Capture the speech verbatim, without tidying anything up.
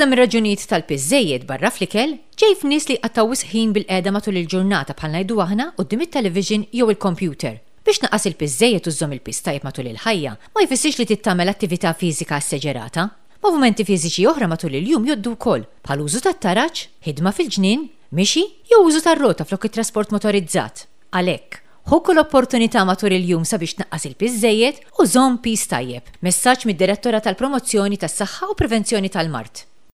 Waħda mir-raġunijiet tal-piż żejjed barra fl-ikel ġej f'nies li jqattgħu wisq ħin bilqiegħda matul il-ġurnata, bħal ngħidu aħna quddiem it-television jew il-computer. Biex tnaqqas il-piż żejjed u żżomm il-piż tajjeb matul il-ħajja, ma jfissirx li trid tagħmel attività fiżika esseġerata. Movimenti fiżiċi oħra matul il-jum jgħoddu wkoll, bħal użu tat-taraġ, ħidma fil-ġnien, mixi jew użu tar-rota flok it-trasport motorizzat. Għalhekk, ħu kull opportunità matul il-jum sabiex tnaqqas il-piż żejjed u żomm piż tajjeb. Messaġġ mid-Direttorat tal-Promozzjoni tas-Saħħa u Prevenzjoni tal-Mard.